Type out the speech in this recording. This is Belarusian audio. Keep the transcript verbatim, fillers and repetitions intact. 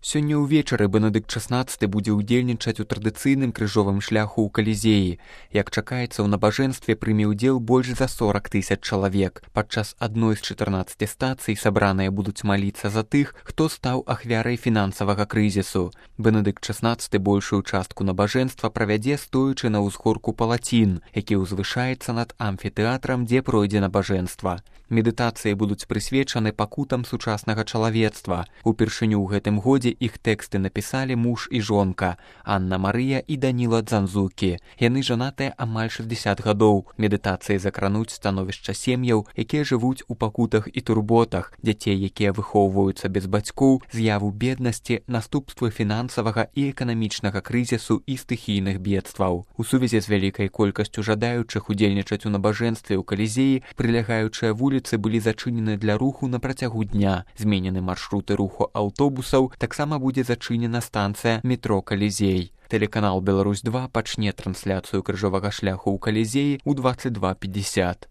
Сёння ўвечары Бенедыкт шаснаццаты будзе ўдзельнічаць у традыцыйным крыжовым шляху ў Калізеі. Як чакаецца, у набажэнстве прыме ўдзел больш за сорак тысяч чалавек. Падчас адной з чатырнаццаці стацый сабраныя будуць маліцца за тых, хто стаў ахвярай фінансавага крызісу. Бенедыкт шаснаццаты большую частку набажэнства правядзе стоячы на ўзгорку Палацін, які ўзвышаецца над амфітэатрам, дзе пройдзе набажэнства. Медытацыі будуць прысвечаны пакутам сучаснага чалавецтва. Упершыню ў гэтым годзе іх тэксты напісалі муж і жонка Анна Марыя і Даніла Дзанзукі. Яны жанатыя амаль шэсцьдзесят гадоў. Медытацыі закрануць становішча сем'яў, якія жывуць у пакутах і турботах, дзяцей, якія выхоўваюцца без бацькоў, з'яву беднасці, наступствы фінансавага і эканамічнага крызісу і стыхійных бедстваў. У сувязі з вялікай колькасцю жадаючых удзельнічаць у набажэнстве ў Калізеі прылягаючыя вуліцы былі зачынены для руху на працягу дня. Зменены маршруты руху аўтобусаў, таксама будзе зачынена станцыя метро Калізей. Тэлеканал Беларусь два пачне трансляцыю крыжовага шляху ў Калізеі ў дваццаць два пятьдесят.